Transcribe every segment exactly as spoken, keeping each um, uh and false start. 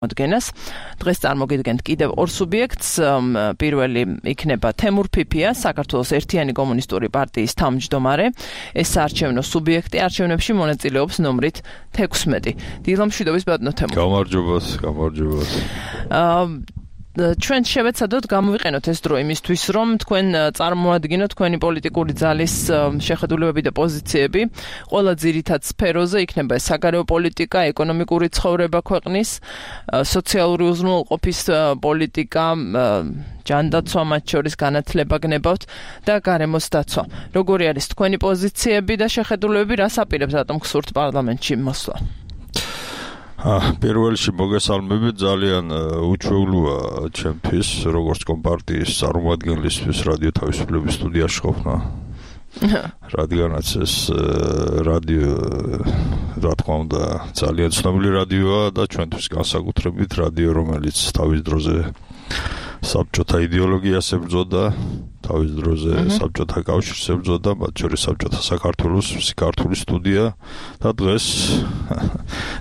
მოდგენას. დღეს წარმოგიდგენთ კიდევ ორ სუბიექტს. პირველი იქნება თემურ ფიფია, საქართველოს ერთიანი კომუნისტური პარტიის თავმჯდომარე. ეს საარჩევნო სუბიექტი არჩევნებში მონაწილეობს ნომრით თექვსმეტი. დილა მშვიდობის ბატონო თემურ. გამარჯობას, გამარჯობას. ჩვენ შევეცადოთ გამოვიყენოთ ეს დრო იმისთვის, რომ თქვენ წარმოადგინოთ თქვენი პოლიტიკური ძალის შეხედულებები და პოზიციები. ყველა ძირითად სფეროზე იქნება საგარეო პოლიტიკა, ეკონომიკური ცხოვრება ქვეყნის, სოციალური უზრუნველყოფის პოლიტიკა, ჯანდაცვა, მათ შორის განათლება გნებავთ და გარემოს დაცვა. როგორი არის თქვენი პოზიციები და შეხედულებები, რას აპირებს რატომ გსურთ პარლამენტში მოსვლა? პირველში მოგესალმებით, ძალიან უჩვეულოა ჩემთვის, როგორც კომპარტიის წარმომადგენლისთვის რადიო თავისუფლების სტუდიაში ყოფნა. რადგანაც ეს რადიო, რა თქმა უნდა, ძალიან ცნობილი რადიოა და ჩვენთვის განსაკუთრებით რადიო, რომელიც თავის დროზე საბჭოთა იდეოლოგიას ებრძოდა, თავის დროზე საბჭოთა კავშირს ებრძოდა, მათ შორის საბჭოთა საქართველოს ქართული სტუდია და დღეს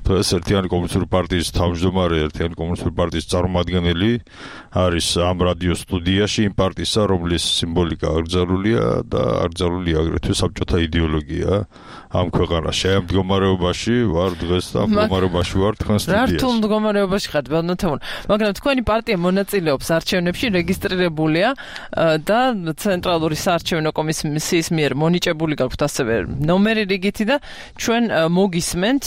დღეს ერთიანი კომუნისტური პარტიის თავმჯდომარე, ერთიანი კომუნისტური პარტიის წარმომადგენელი არის ამ რადიო სტუდიაში იმ პარტიისა, რომლის სიმბოლიკა აკრძალულია და აკრძალულია აგრეთვე საბჭოთა იდეოლოგია ამ ქვეყანაში. ამ მდგომარეობაში ვარ დღეს და ამ მდგომარეობაში ვარ თქვენ სტუდიაში. რა რთულ მდგომარეობაში ხართ, ბატონო თემურ? მაგრამ თქვენი პარტია მონაწილეობს არჩევნებში, რეგისტრირებულია და ცენტრალური საარჩევნო კომისიის მიერ მონიჭებული გაქვთ ასევე ნომერი რიგითი და ჩვენ მოგისმენთ,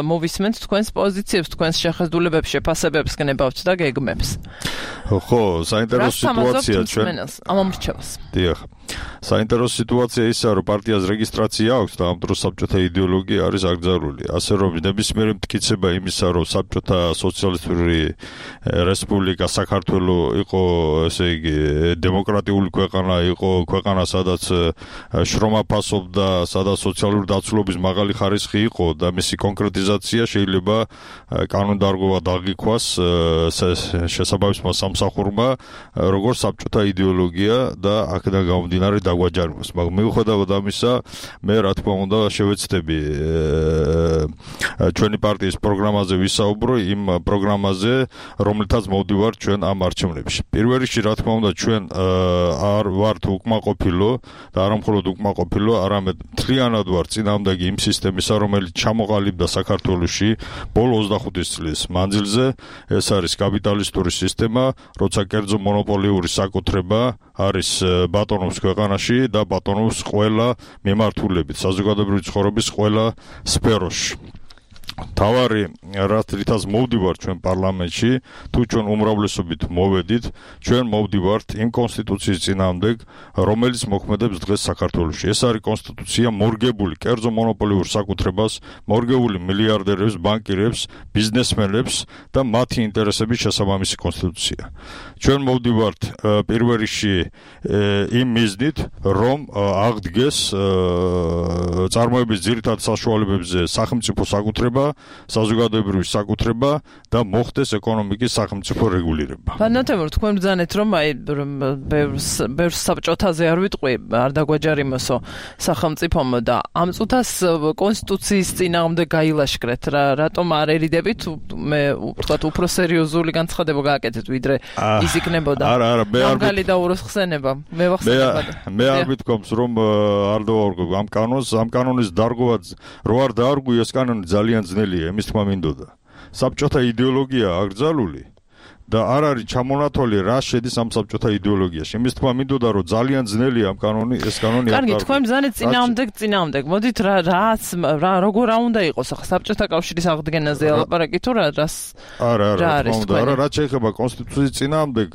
მოვისმენთ თქვენს პოზიციებს, თქვენს შეხედულებებს, შეფასებებს გნებავთ და გეგმებს. ხო, საინტერესო სიტუაცია ჩვენ ამ ამრჩევას. დიახ. საინტერესო სიტუაცია ისაა, რომ პარტიას რეგისტრაცია აქვს და ამ დროს საბჭოთა იდეოლოგია არის აკრძალული. ასე რომ ნებისმიერი მტკიცება იმისა, რომ საბჭოთა სოციალისტური რესპუბლიკა საქართველო იყო, ესე იგი, დემოკრატიული ქვეყანა, იყო ქვეყანა, სადაც შრომა ფასობდა, სადაც სოციალური დაცულობის მაღალი ხარისხი იყო და მისი კონკრეტიზაცია შეიძლება კანონდარგობა დაღიქვას შესაბამისმა სამსახურმა, როგორც საბჭოთა იდეოლოგია და აქედან გამომდინარე დაგვაჯარიმოს. მაგრამ მიუხედავად ამისა, მე რა თქმა უნდა შევეცდები ჩვენი პარტიის პროგრამაზე ვისაუბრო, იმ პროგრამაზე, რომლითაც მოვდივართ ჩვენ ამ არჩევნებში. პირველ რიგში რა თქმა უნდა ჩვენ არ ვართ უკმაყოფილო და არა მხოლოდ უკმაყოფილო, არამედ მთლიანად ვართ წინააღმდეგი იმ სისტემისა, რომელიც ჩამოყალიბდა საქართველოში ბოლო ოცდახუთი წლის მანძილზე. ეს არის კაპიტალისტური სისტემა, როცა კერძო მონოპოლიური საკუთრება არის ბატონობს ქვეყანაში და ბატონობს ყველა მიმართულებით, საზოგადოებრივი ცხოვრების ყველა სფეროში. თავარი რითაც მოვდივართ ჩვენ პარლამენტში, თუ ჩვენ უმრავლესობით მოვედით, ჩვენ მოვდივართ იმ კონსტიტუციის წინააღმდეგ, რომელიც მოქმედებს დღეს საქართველოში. ეს არის კონსტიტუცია მორგებული კერძო მონოპოლიურ საკუთრებას, მორგებული მილიარდერებს, ბანკირებს, ბიზნესმენებს და მათი ინტერესების შესაბამისი კონსტიტუცია. ჩვენ მოვდივართ პირველ რიგში იმ მიზნით, რომ აღდგეს წარმოების ძირითად საშუალებებზე სახელმწიფო საკუთრება, საზოგადოებრივი საკუთრება და მოხდეს ეკონომიკის სახელმწიფო რეგულირება. ბატონო თემურ, თქვენ ბრძანეთ, რომ აი ბევრს ბევრს საბჭოთაზე არ ვიტყვი, არ დაგვაჯარიმოსო სახელმწიფომ და ამ წუთას კონსტიტუციის წინააღმდეგ გაილაშქრეთ. რატომ არ ერიდებით? მე ვთქვათ, უფრო სერიოზული განცხადება გააკეთეთ, ვიდრე ის იქნებოდა. არა, არა, მე არ მაღალი და უროსხსენება. მე ვახსენებოდა. მე არ ვიტყობს, რომ არ დავარგო ამ კანონს, ამ კანონის დარგვა რო არ დაარღვი, ეს კანონი ძალიან ძნელია, იმის თქმა მინდოდა. საბჭოთა იდეოლოგია აკრძალული და არ არის ჩამონათვალი რა შედის ამ საბჭოთა იდეოლოგიაში. იმის თქმა მინდოდა, რომ ძალიან ძნელია ამ კანონი, ეს კანონი არ. კარგი, თქვენ ბრძანეთ წინააღმდეგ, წინააღმდეგ. მოდით რა რაც რა როგორ რა უნდა იყოს ახლა საბჭოთა კავშირის აღდგენაზე ალაპარაკი თუ რა რას? არა, არა, რა თქმა უნდა, არა, რაც შეეხება კონსტიტუციის წინააღმდეგ,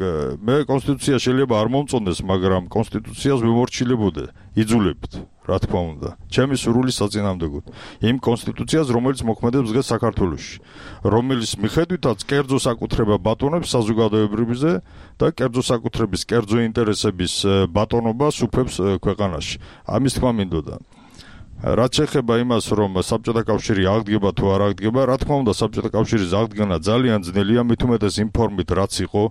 მე კონსტიტუცია შეიძლება არ მომწონდეს, მაგრამ კონსტიტუციას ვიმორჩილებოდე, იძულებით. რა თქმა უნდა, ჩემი სურვილი საწინააღმდეგოდ იმ კონსტიტუციას, რომელიც მოქმედებს დღეს საქართველოში, რომელიც მიხედვითაც კერძო საკუთრება ბატონობს საზოგადოებრივზე და კერძო საკუთრების, კერძო ინტერესების ბატონობას უფლებს ქვეყანაში. ამის თქმა მინდოდა. რაც შეეხება იმას, რომ საბჭოთა კავშირი აღდგება თუ არ აღდგება, რა თქმა უნდა, საბჭოთა კავშირის აღდგენა ძალიან ძნელია, მით უმეტეს იმ ფორმით, რაც იყო,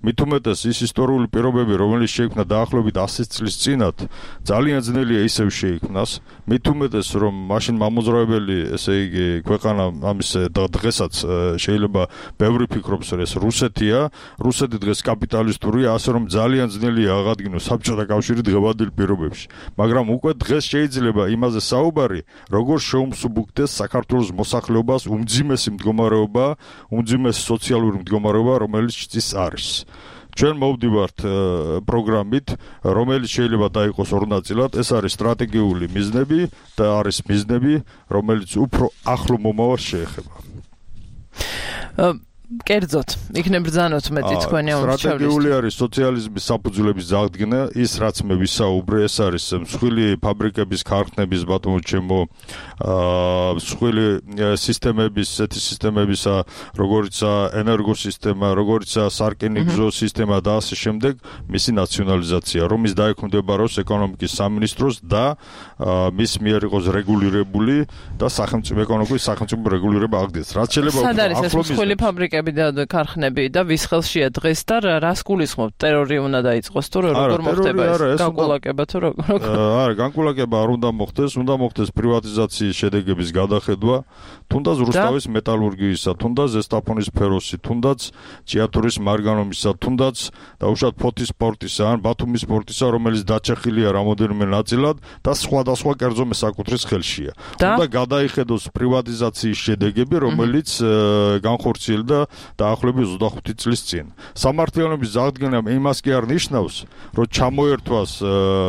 მით უმეტეს ის ისტორიული პირობები, რომელიც შეიქმნა დაახლოებით ასი წლის წინათ, ძალიან ძნელია ისევ შეიქმნას, მით უმეტეს, რომ მაშინ მამოძრავებელი, ესე იგი, ქვეყანა ამის დღესაც შეიძლება ბევრი ფიქრობს, რომ ეს რუსეთია, რუსეთი დღეს კაპიტალისტურია, ასე რომ ძალიან ძნელია აღადგინოს საბჭოთა კავშირი დღევანდელ პირობებში, მაგრამ უკვე დღეს შეიძლება იმაზე საუბარი, როგორ შეუმსუბუქდეს საქართველოს მოსახლეობას უმძიმესი მდგომარეობა, უმძიმესი სოციალური მდგომარეობა, რომელიც ის არის. ჩვენ მოვდივართ პროგრამით, რომელიც შეიძლება დაიყოს ორ ნაწილად, ეს არის სტრატეგიული მიზნები და არის მიზნები, რომელიც უფრო ახლო მომავალს შეეხება. კერძოდ, იქნებ ბრძანოთ მეტი თქვენი ამბავი. სტრატეგიული არის სოციალიზმის საფუძვლების აღდგენა, ის რაც მე ვისაუბრე, ეს არის მსხვილი ფაბრიკების, ქარხნების, ბატონო ჩემო, აა მსხვილი სისტემების, ესეთი სისტემებისა, როგორიცაა ენერგოსისტემა, როგორიცაა სარკინიგზო სისტემა და ასე შემდეგ, მისი ნაციონალიზაცია, რომის დაექვემდებაროს ეკონომიკის სამინისტროს და მის მიერ იყოს რეგულირებული და სახელმწიფო ეკონომიკის სახელმწიფო რეგულირება აღდგეს. რაც შეიძლება უფრო ახლო მსხვილი ფაბრიკები და ქარხნები და ვის ხელშია დღეს და რას გულისხმობთ? ტერორი უნდა დაიწყოს თუ როგორ მოხდება ეს? განკულაკება თუ როგორ? არა, განკულაკება არ უნდა მოხდეს, უნდა მოხდეს პრივატიზაციის შედეგების გადახედვა, თუნდაც რუსთავის მეტალურგიისა, თუნდაც ზესტაფონის ფეროსი, თუნდაც ჭიათურის მარგანომისა, თუნდაც დაუშვათ ფოთის პორტისა, ან ბათუმის პორტისა, რომელიც დაჩეხილია რამოდენიმე ნაწილად და სხვადასხვა კერძო მესაკუთრის ხელშია. უნდა გადაიხედოს პრივატიზაციის შედეგები, რომელიც განხორციელდა დაახლოებით ოცდახუთი წლის წინ. სამართლიანობის აღდგენა იმას კი არ ნიშნავს, რომ ჩამოერთვას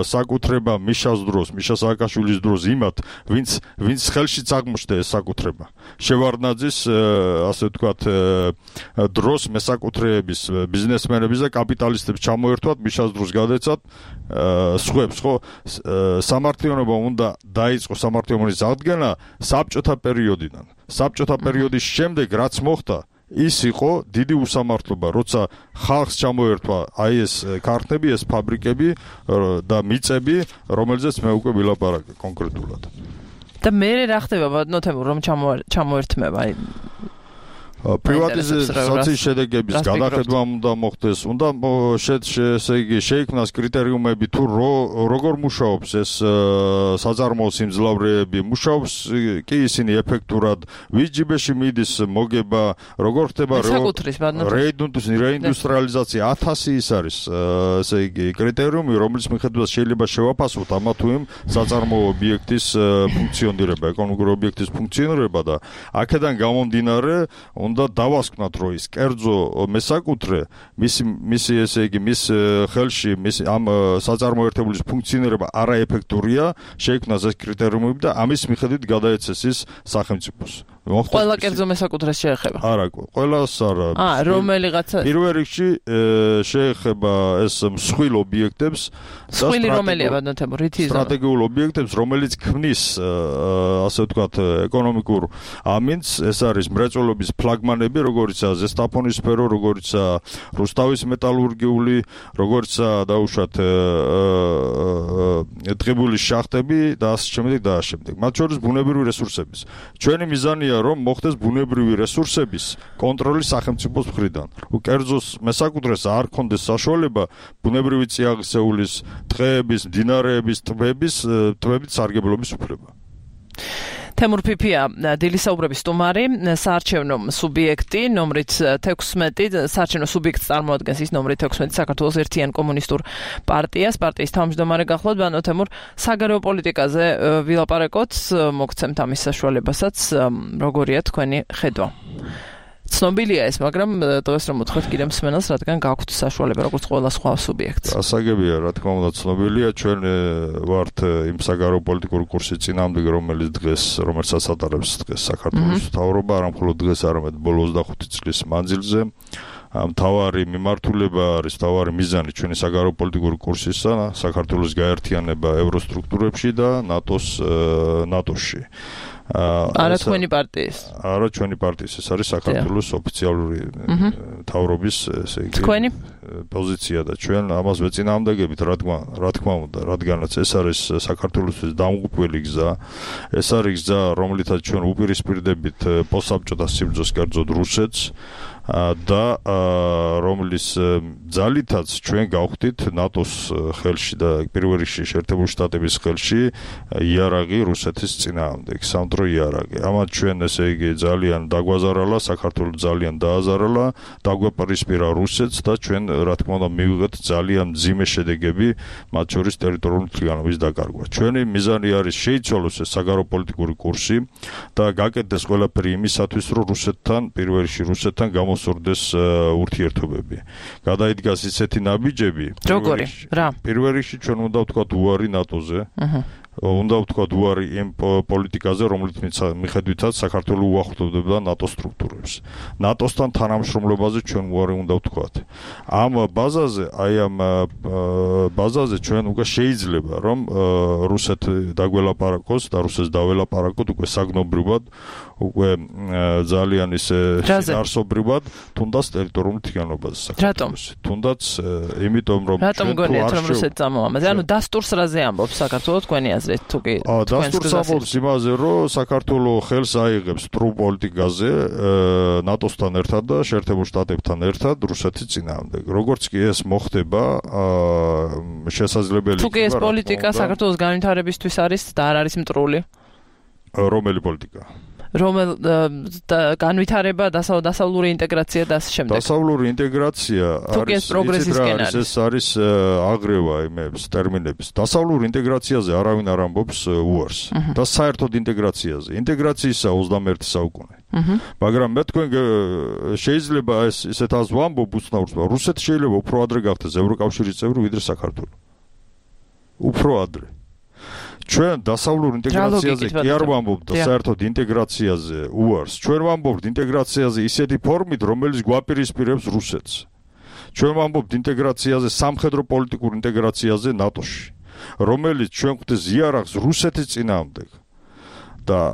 საკუთრება მიშას დროს, მიშა სააკაშვილის დროს იმათ, ვინც ვინც ხელშიც აღმოჩნდა ეს საკუთრება. შევარდნაძის ასე ვთქვათ დროს მესაკუთრეების, ბიზნესმენების და კაპიტალისტებს ჩამოერთვათ მიშას დროს გადაეცათ სხვებს, ხო? სამართლიანობა უნდა დაიწყოს სამართლიანობის აღდგენა საბჭოთა პერიოდიდან. საბჭოთა პერიოდის შემდეგ რაც მოხდა ის იყო დიდი უსამართლობა, როცა ხალხს ჩამოერთვა აი ეს ქარხნები, ეს ფაბრიკები და მიწები, რომელზეც მე უკვე ვილაპარაკე კონკრეტულად. და მე რა ხდება ბატონო თემურ, რომ ჩამოერთმება აი პრივატიზაციის შედეგების გადახედვა უნდა მოხდეს, უნდა ესე იგი შეიქმნას კრიტერიუმები თუ როგორ მუშაობს ეს საწარმოო სიმძლავრეები, მუშაობს კი ისინი ეფექტურად, ვის ჯიბეში მიდის მოგება, როგორ ხდება რეინდუსტრიალიზაცია, ათასი ის არის ესე იგი კრიტერიუმი, რომლის მიხედვითაც შეიძლება შევაფასოთ ამა თუ იმ საწარმოო ობიექტის ფუნქციონირება, ეკონომიკური ობიექტის ფუნქციონირება და აქედან გამომდინარე უნდა დავასკვნათ, რომ ის კერძო მესაკუთრე, მისი მისი ესე იგი მის ხელში, მის ამ საწარმოო ერთეულის ფუნქციონირება არაეფექტურია, შეიქმნას ეს კრიტერიუმები და ამის მიხედვით გადაეცეს ის სახელმწიფოს. ყველა კერძო მესაკუთრეს შეეხება? არა, ყველას არა. აა, რომელიღაცა პირველ რიგში შეეხება ეს მსხვილ ობიექტებს და მსხვილი რომელია ბატონო თემო, რითი იზრდება? სტრატეგიულ ობიექტებს, რომელიც ქმნის ასე ვთქვათ ეკონომიკურ ამინდს, ეს არის მრეწველობის ფლაგმანები, როგორიცაა ზესტაფონის სფერო, როგორიცაა რუსთავის მეტალურგიული, როგორიცაა დაუშვათ ტყიბულის შახტები და ასე შემდეგ და ასე შემდეგ. მათ შორის ბუნებრივი რესურსების. ჩვენი მიზანია რომ მოხდეს ბუნებრივი რესურსების კონტროლი სახელმწიფოს მხრიდან. კერძოს მესაკუთრეს არ ქონდეს საშუალება ბუნებრივი წიაღისეულის, ტყეების, მდინარეების, ტბების, ტბებით სარგებლობის უფლება. თემურ ფიფია, დილისაუბრების სტუმარი, საარჩევნო სუბიექტი, ნომრით თექვსმეტი, საარჩევნო სუბიექტს წარმოადგენს ის ნომრით თექვსმეტი საქართველოს ერთიან კომუნისტურ პარტიას, პარტიის თავმჯდომარე გახლავთ, ბატონო თემურ, საგარეო პოლიტიკაზე ვილაპარაკოთ, მოგცემთ ამის საშუალებასაც, როგორია თქვენი ხედვა. ცნობილია ეს, მაგრამ დღეს რომ მოთხოვთ კიდე მსმენელს, რადგან გაქვთ საშუალება როგორც ყველა სხვა სუბიექტს. ასაგებია, რა თქმა უნდა, ცნობილია, ჩვენ ვართ იმ საგარეო პოლიტიკური კურსის წინამდეგ, რომელიც დღეს, რომელსაც ატარებს დღეს საქართველოს მთავრობა, არა მხოლოდ დღეს, არამედ ბოლო ოცდახუთი წლის მანძილზე. მთავარი მიმართულება არის, მთავარი მიზანი ჩვენი საგარეო პოლიტიკური კურსისა, საქართველოს გაერთიანება ევროსტრუქტურებში და ნატოს ნატოში. არა თქვენი პარტიის. არა ჩვენი პარტიის, ეს არის საქართველოს ოფიციალური მთავრობის ესე იგი თქვენი პოზიცია და ჩვენ ამას ვეწინააღმდეგებით, რადგან რა თქმა უნდა, რადგანაც ეს არის საქართველოსთვის დამღუპველი გზა, ეს არის გზა, რომლითაც ჩვენ უპირისპირდებით პოსტსაბჭოთა სიბრძოლეს, კერძოდ რუსეთს და რომლის ძალითაც ჩვენ გავხდით ნატოს ხელში და პირველ რიგში შეერთებული შტატების ხელში იარაღი რუსეთის წინააღმდეგ, სამდრო იარაღი. ამათ ჩვენ ესე იგი ძალიან დაგვაზარალა, საქართველოს ძალიან დააზარალა, დაგვეპირისპირა რუსეთს და ჩვენ რა თქმა უნდა მივიღეთ ძალიან მძიმე შედეგები, მათ შორის ტერიტორიული მთლიანობის დაკარგვა. ჩვენი მიზანი არის შეიცვალოს ეს საგარეოპოლიტიკური კურსი და გაკეთდეს ყველაფერი იმისათვის, რომ რუსეთთან, პირველ რიგში რუსეთთან გამოსურდეს ურთიერთობები. გადაიდგას ისეთი ნაბიჯები, როგორი? რა? პირველ რიგში ჩვენ უნდა ვთქვათ უარი ნატოზე. აჰა. უნდა ვთქვათ უარი იმ პოლიტიკაზე, რომლით მიხედვითაც საქართველოს უახლოვდება ნატოს სტრუქტურებს. ნატოსთან თანამშრომლობაზე ჩვენ უარი უნდა ვთქვათ. ამ ბაზაზე, აი ამ ბაზაზე ჩვენ უკვე შეიძლება, რომ რუსეთი დაგველაპარაკოს და რუსეთს დაველაპარაკოთ უკვე საგნობრივად, უკვე ძალიან ისე არსობრივად, თუნდაც ტერიტორიულ მთლიანობაზე საქართველოს. თუნდაც იმიტომ რომ რატომ გონიათ რომ რუსეთი წამოამაზე? ანუ დასტურს რაზე ამბობს საქართველოს თქვენი აზრით თუ კი? დასტურს ამბობს იმაზე, რომ საქართველოს ხელს აიღებს სტრუ პოლიტიკაზე ნატოსთან ერთად და შეერთებულ შტატებთან ერთად რუსეთის წინააღმდეგ. როგორც კი ეს მოხდება, შესაძლებელი თუ კი ეს პოლიტიკა საქართველოს განვითარებისთვის არის და არ არის მტრული? რომელი პოლიტიკა? რომელ განვითარება, დასავლური ინტეგრაცია და ასე შემდეგ. დასავლური ინტეგრაცია არის პროგრესისკენ არის. ეს არის აგრევა იმებს, ტერმინებს. დასავლურ ინტეგრაციაზე არავინ არ ამბობს უარს. და საერთოდ ინტეგრაციაზე. ინტეგრაციისა ოცდამეერთე საუკუნე. მაგრამ მე თქვენ შეიძლება ეს ისეთ აზრს ვამბობ უცნაურს, რუსეთი შეიძლება უფრო ადრე გახდეს ევროკავშირის წევრი ვიდრე საქართველო. უფრო ადრე. ჩვენ დასავლურ ინტეგრაციაზე კი არ ვამბობთ და საერთოდ ინტეგრაციაზე უარს. ჩვენ ვამბობთ ინტეგრაციაზე ისეთი ფორმით, რომელიც გვაპირისპირებს რუსეთს. ჩვენ ვამბობთ ინტეგრაციაზე, სამხედრო პოლიტიკურ ინტეგრაციაზე ნატოში, რომელიც ჩვენ გვხვდეს იარაღს რუსეთის წინააღმდეგ. და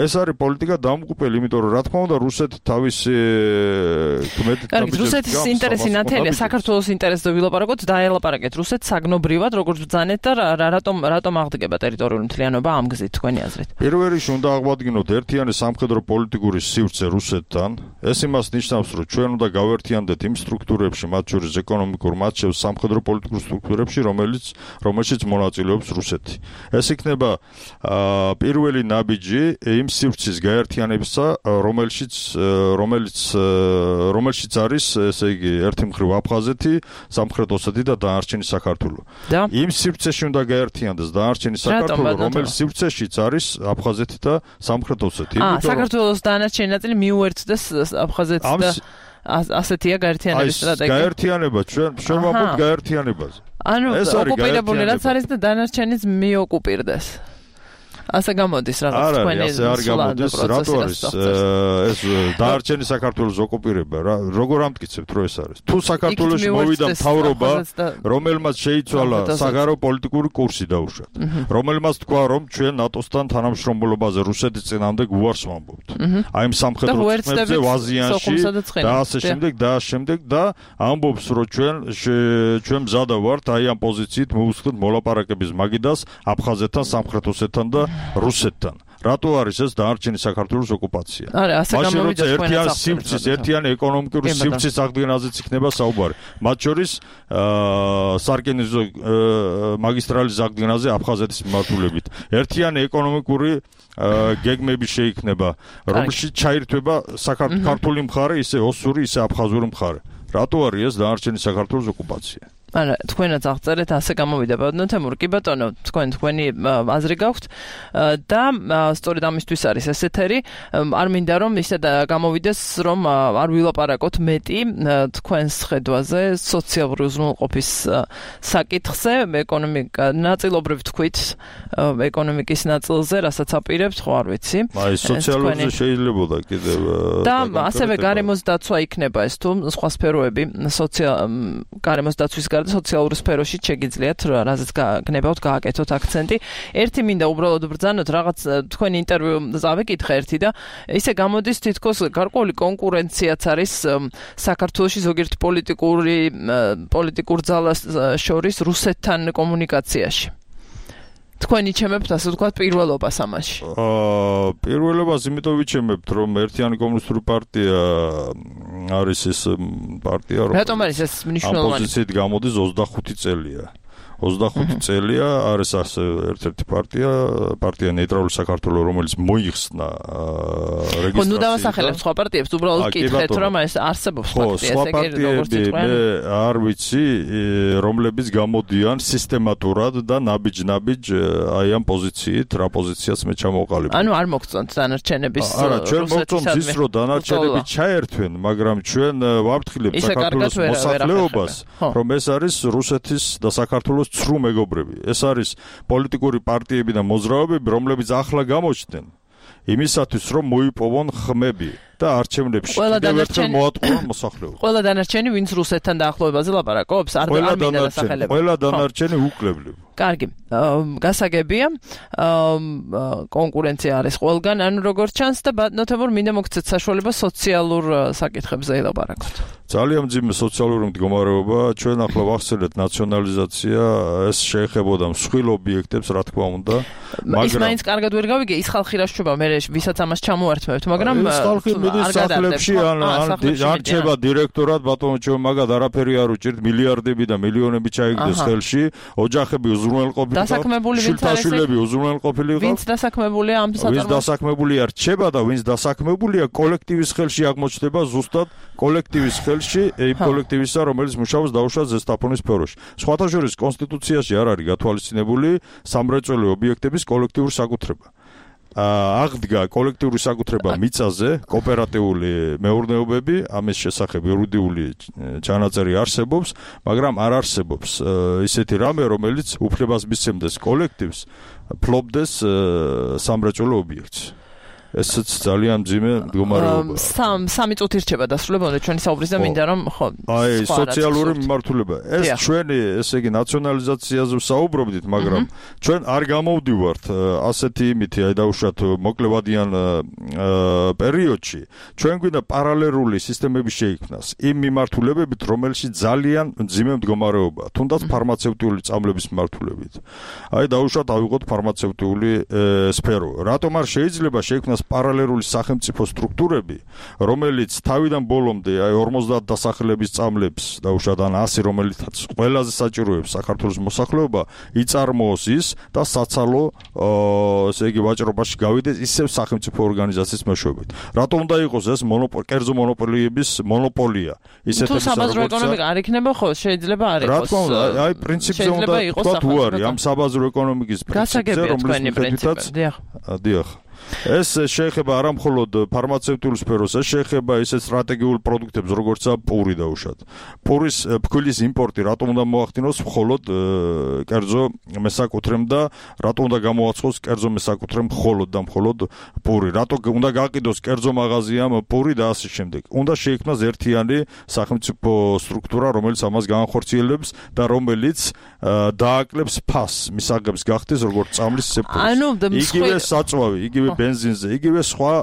ეს არის პოლიტიკა დამღუპელი, იმიტომ რომ რა თქმა უნდა რუსეთი თავისი კმეთ რუსეთის ინტერესი ნათელია, საქართველოს ინტერესზე ვილაპარაკოთ, დაელაპარაკეთ რუსეთს საგნობრივად, როგორც ბრძანეთ და რატომ რატომ აღდგება ტერიტორიული მთლიანობა ამ გზით თქვენი აზრით? პირველ რიგში უნდა აღვადგინოთ ერთიანი სამხედრო პოლიტიკური სივრცე რუსეთთან. ეს იმას ნიშნავს, რომ ჩვენ უნდა გავერთიანდეთ იმ სტრუქტურებში, მათ შორის ეკონომიკურ, მათ შორის სამხედრო პოლიტიკურ სტრუქტურებში, რომელიც რომელშიც მონაწილეობს რუსეთი. ეს იქნება პირველი ნაბიჯი იმ სივრცის გაერთიანებისა, რომელშიც რომელიც რომელშიც არის, ესე იგი, ერთი მხრივ აფხაზეთი, სამხრეთ ოსეთი და დანარჩენი საქართველო. იმ სივრცეში უნდა გაერთიანდეს დანარჩენი საქართველო, რომელიც სივრცეშიც არის აფხაზეთი და სამხრეთ ოსეთი. აა, საქართველოს დანარჩენი ნაწილი მიუერთდეს აფხაზეთს და ასეთია გაერთიანების სტრატეგია. გაერთიანება ჩვენ ჩვენ ვამბობთ გაერთიანებაზე. ანუ ოკუპირებული რაც არის და დანარჩენიც მიოკუპირდეს. ასე გამოდის რაღაც თქვენი ასე არ გამოდის, რატო არის ეს დაარჩენი საქართველოს ოკუპირება რა, როგორ ამტკიცებთ რომ ეს არის? თუ საქართველოში მოვიდა მთავრობა, რომელმაც შეიცვალა საგარეოპოლიტიკური კურსი დაუშვათ, რომელმაც თქვა რომ ჩვენ ნატოსთან თანამშრომლობაზე რუსეთის წინააღმდეგ უარს ვამბობთ. აი ამ სამხედრო წმებზე ვაზიანში და ასე შემდეგ და ასე შემდეგ და ამბობს რომ ჩვენ ჩვენ მზადა ვართ აი ამ პოზიციით მოვუსწროთ მოლაპარაკების მაგიდას აფხაზეთთან, სამხრეთ ოსეთთან და რუსეთთან. რატო არის ეს დანარჩენი საქართველოს ოკუპაცია? არა, ასე გამოვიდა ერთიანი სივრცის, ერთიანი ეკონომიკური სივრცის აღდგენაზეც იქნება საუბარი. მათ შორის სარკინიზო მაგისტრალის აღდგენაზე აფხაზეთის მიმართულებით. ერთიანი ეკონომიკური გეგმები შეიქმნება, რომელშიც ჩაირთვება საქართველოს მხარე, ისე ოსური, ისე აფხაზური მხარე. რატო არის ეს დანარჩენი საქართველოს ოკუპაცია? არა, თქვენაც აღწერეთ, ასე გამოვიდა ბატონო თემურ. კი ბატონო, თქვენ თქვენი აზრი გაქვთ და სწორედ ამისთვის არის ეს ეთერი. არ მინდა რომ ისე გამოვიდეს, რომ არ ვილაპარაკოთ მეტი თქვენს ხედვაზე სოციალური უზრუნველყოფის საკითხზე, ეკონომიკა ნაწილობრივ თქვით ეკონომიკის ნაწილზე, რასაც აპირებთ, ხო არ ვიცი. აი, სოციალურზე შეიძლებოდა კიდევ და ასევე გარემოს დაცვა იქნება ეს თუ სხვა სფეროები, სოციალ გარემოს დაცვის გარდა სოციალურ სფეროში შეგიძლიათ რაზეც გნებავთ გააკეთოთ აქცენტი. ერთი მინდა უბრალოდ ბრძანოთ რაღაც თქვენ ინტერვიუ წავეკითხე ერთი და ისე გამოდის თითქოს გარკვეული კონკურენციაც არის საქართველოში ზოგიერთ პოლიტიკური პოლიტიკურ ძალას შორის რუსეთთან კომუნიკაციაში. თქვენი ჩემებთ ასე ვთქვათ პირველობას ამაში. აა პირველობას იმიტომ ვიჩემებთ რომ ერთიანი კომუნისტური პარტია არის ეს პარტია რომ რატომ არის ეს მნიშვნელოვანი? ოპოზიციით გამოდის ოცდახუთი წელია. ოცდახუთი წელია არის ასე ერთ-ერთი პარტია, პარტია ნეიტრალური საქართველო, რომელიც მოიხსნა რეგისტრაციით. ხო, ნუ დავასახელებ სხვა პარტიებს, უბრალოდ გითხეთ, რომ ეს არსებობს პარტია, ესე იგი როგორც იყვნენ. მე არ ვიცი, რომლებიც გამოდიან სისტემატურად და ნაბიჯ-ნაბიჯ აი ამ პოზიციით, რა პოზიციაც მე ჩამოვყალიბე. ანუ არ მოგწონთ დანარჩენების არა, ჩვენ მოგწონთ ის, რომ დანარჩენები ჩაერთვენ, მაგრამ ჩვენ ვაფრთხილებთ საქართველოს მოსახლეობას, რომ ეს არის რუსეთის და საქართველოს ცრუ მეგობრები. ეს არის პოლიტიკური პარტიები და მოძრაობები, რომლებიც ახლა გამოჩნდნენ იმისათვის, რომ მოიპოვონ ხმები და არჩევნებში კიდევ ერთხელ მოატყუონ მოსახლეობას. ყველა დანარჩენი, ვინც რუსეთთან დაახლოებაზე ლაპარაკობს, არ მინდა დასახელება. ყველა დანარჩენი უკლებლები. კარგი, გასაგებია, კონკურენცია არის ყველგან, ანუ როგორც ჩანს და ბატონთებურ მინდა მოგცეთ საშუალება სოციალურ საკითხებზე ელაპარაკოთ. ძალიან მძიმე სოციალური მდგომარეობა, ჩვენ ახლა ვახსენეთ ნაციონალიზაცია, ეს შეეხებოდა მსხვილ ობიექტებს, რა თქმა უნდა, მაგრამ ის მაინც კარგად ვერ გავიგე, ის ხალხი რა შობა, მე ვისაც ამას ჩამოართმევთ, მაგრამ ეს ხალხი მიდის სახლებში, ან ან რჩება დირექტორად, ბატონო ჩვენ მაგად არაფერი არ უჭირთ, მილიარდები და მილიონები ჩაიგდეს ხელში, ოჯახები უზრუნველყოფილი ყავთ, შვილთაშვილები უზრუნველყოფილი ყავთ. ვინც დასაქმებულია ამ საწარმოებში? ვინც დასაქმებულია რჩება და ვინც დასაქმებულია კოლექტივის ხელში აღმოჩნდება ზუსტად კოლექტივის ხელში, იმ კოლექტივისა, რომელიც მუშაობს დაუშვათ ზესტაფონის სფეროში. სხვათა შორის კონსტიტუციაში არ არის გათვალისწინებული სამრეწველო ობიექტების კოლექტიური საკუთრება. აღდგა კოლექტიური საკუთრება მიწაზე, კოოპერატიული მეურნეობები, ამის შესახებ იურიდიული ჩანაწერი არსებობს, მაგრამ არ არსებობს ისეთი რამე, რომელიც უფლებას მისცემდეს კოლექტივს ფლობდეს სამრეწველო ობიექტს. ესეც ძალიან მძიმე მდგომარეობაა. სამ სამი წუთი რჩება დასრულებამდე ჩვენი საუბრის და მინდა რომ ხო აი სოციალური მიმართულება. ეს ჩვენი ესე იგი ნაციონალიზაციაზე ვსაუბრობდით, მაგრამ ჩვენ არ გამოვდივართ ასეთი იმითი, აი დაუშვათ მოკლევადიან პერიოდში. ჩვენ გვინდა პარალელური სისტემები შეიქმნას იმ მიმართულებებით, რომელშიც ძალიან მძიმე მდგომარეობაა, თუნდაც ფარმაცევტიული წამლების მიმართულებით. აი დაუშვათ ავიღოთ ფარმაცევტიული სფერო. რატომ არ შეიძლება შეიქმნას პარალელური სახელმწიფო სტრუქტურები, რომელიც თავიდან ბოლომდე აი ორმოცდაათ დასახლების წამლებს დაუშვათ ან ასი, რომელიც ყველაზე საჭიროებს საქართველოს მოსახლეობა, იწარმოოს ის და საცალო ესე იგი ვაჭრობაში გავიდეს ისევ სახელმწიფო ორგანიზაციის მეშვეობით. რატომ უნდა იყოს ეს მონოპოლი, კერძო მონოპოლიების მონოპოლია? ისეთები თუ საბაზრო ეკონომიკა არ იქნება, ხო, შეიძლება არ იყოს. რა თქმა უნდა, აი პრინციპზე უნდა თქვა თუ არის ამ საბაზრო ეკონომიკის პრინციპზე, რომელიც მიხედვითაც დიახ. ეს შეეხება არა მხოლოდ ფარმაცევტიულ სფეროს, ეს შეეხება ისეთ სტრატეგიულ პროდუქტებს, როგორცაა პური დაუშვათ. პურის ფქვილის იმპორტი რატომ უნდა მოახდინოს მხოლოდ კერძო მესაკუთრემ და რატომ უნდა გამოაცხოს კერძო მესაკუთრემ მხოლოდ და მხოლოდ პური? რატომ უნდა გაყიდოს კერძო მაღაზიამ პური და ასე შემდეგ? უნდა შეიქმნას ერთიანი სახელმწიფო სტრუქტურა, რომელიც ამას განახორციელებს და რომელიც დააკლებს ფასს, მისაღებს გახდეს როგორც წამლის სექტორი. იგივე საწვავი, იგივე ბენზინზე, იგივე სხვა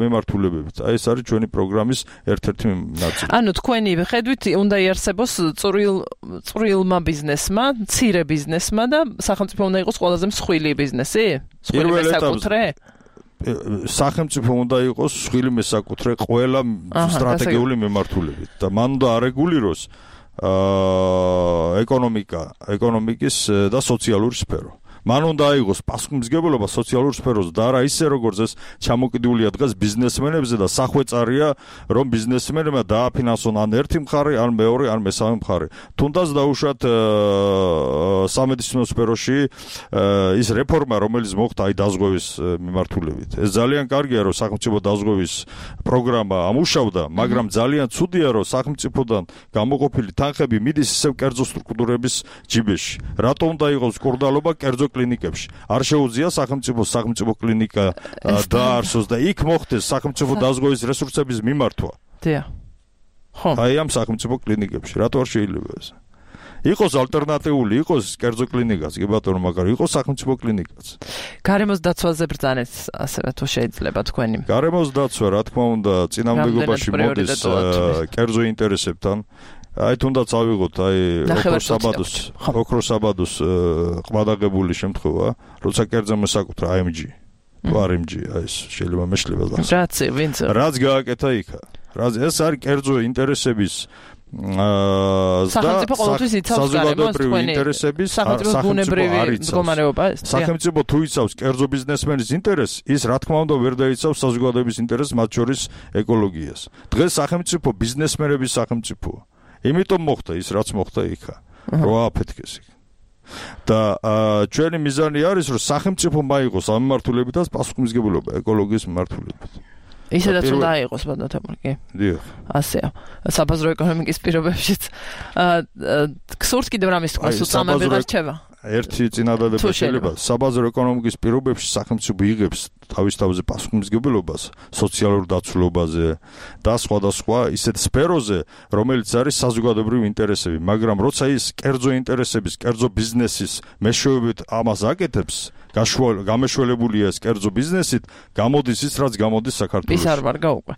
მიმართულებებით. აი ეს არის ჩვენი პროგრამის ერთ-ერთი ნაწილი. ანუ თქვენი ხედვით უნდა იარსებოს წვრილ წვრილმა ბიზნესმა, მცირე ბიზნესმა და სახელმწიფო უნდა იყოს ყველაზე მსხვილი ბიზნესი? მსხვილი მესაკუთრე? სახელმწიფო უნდა იყოს მსხვილი მესაკუთრე ყველა სტრატეგიული მიმართულებით და მან უნდა არეგულიროს ეკონომიკა, ეკონომიკის და სოციალური სფერო. მან უნდა აიღოს პასუხისმგებლობა სოციალურ სფეროზე და არა ისე როგორც ეს ჩამოკიდულია დღეს ბიზნესმენებზე და სახვეწარია რომ ბიზნესმენებმა დააფინანსონ ან ერთი მხარე, ან მეორე, ან მესამე მხარე. თუნდაც დაუშვათ სამედიცინო სფეროში ის რეფორმა, რომელიც მოხდა აი დაზღვევის მიმართულებით. ეს ძალიან კარგია, რომ სახელმწიფო დაზღვევის პროგრამა ამუშავდა, მაგრამ ძალიან ცუდია, რომ სახელმწიფოდან გამოყოფილი თანხები მიდის ისევ კერძო სტრუქტურების ჯიბეში. რატომ უნდა იყოს კურდალობა კერძო კლინიკებში? არ შეუძლია სახელმწიფო სახელმწიფო კლინიკა დაარსოს და იქ მოხდეს სახელმწიფო დაზღვევის რესურსების მიმართვა. დიახ. ხო. აი ამ სახელმწიფო კლინიკებში რატო არ შეიძლება ეს? იყოს ალტერნატიული, იყოს კერძო კლინიკაც, კი ბატონო, მაგრამ იყოს სახელმწიფო კლინიკაც. გარემოს დაცვაზე ბრძანეთ, ასევე თუ შეიძლება თქვენი. გარემოს დაცვა, რა თქმა უნდა, წინამდებობაში მოდის კერძო ინტერესებთან. აი თუნდაც ავიღოთ აი ოქროსაბადოს ოქროსაბადოს ყმადაღებული შემთხვევა, როცა კერძო მოსაკუთრა აი ემ ჯი. არ ემ ჯი, აი ეს შეიძლება მეშლება გასა. რაც ვინც რაც გააკეთა იქა. რაც ეს არის კერძო ინტერესების აა სახელმწიფო ყოველთვის იცავს საზოგადოებრივი ინტერესების სახელმწიფო ბუნებრივი მდგომარეობა ეს. სახელმწიფო თუ იცავს კერძო ბიზნესმენის ინტერესს, ის რა თქმა უნდა ვერ დაიცავს საზოგადოების ინტერესს, მათ შორის ეკოლოგიას. დღეს სახელმწიფო ბიზნესმენების სახელმწიფოა. იმიტომ მოხდა ის, რაც მოხდა იქა. რო ააფეთქეს იქ. და ჩვენი მიზანი არის, რომ სახელმწიფო მაიღოს ამ მიმართულებითაც პასუხისმგებლობა ეკოლოგიის მიმართულებით. ისედაც უნდა აიღოს ბატონო, კი. დიახ. ასეა. საბაზრო ეკონომიკის პირობებშიც. გსურთ კიდევ რამის თქვა, უწამები გარჩევა. ერთი წინადადება შეიძლება საბაზრო ეკონომიკის პირობებში სახელმწიფო იღებს თავის თავზე პასუხისმგებლობას სოციალურ დაცულობაზე და სხვადასხვა ისეთ სფეროზე, რომელიც არის საზოგადოებრივი ინტერესები, მაგრამ როცა ის კერძო ინტერესების, კერძო ბიზნესის მეშვეობით ამას აკეთებს, გამეშველებულია ეს კერძო ბიზნესით, გამოდის ის, რაც გამოდის საქართველოში. ის არ ვარ გაუკვე.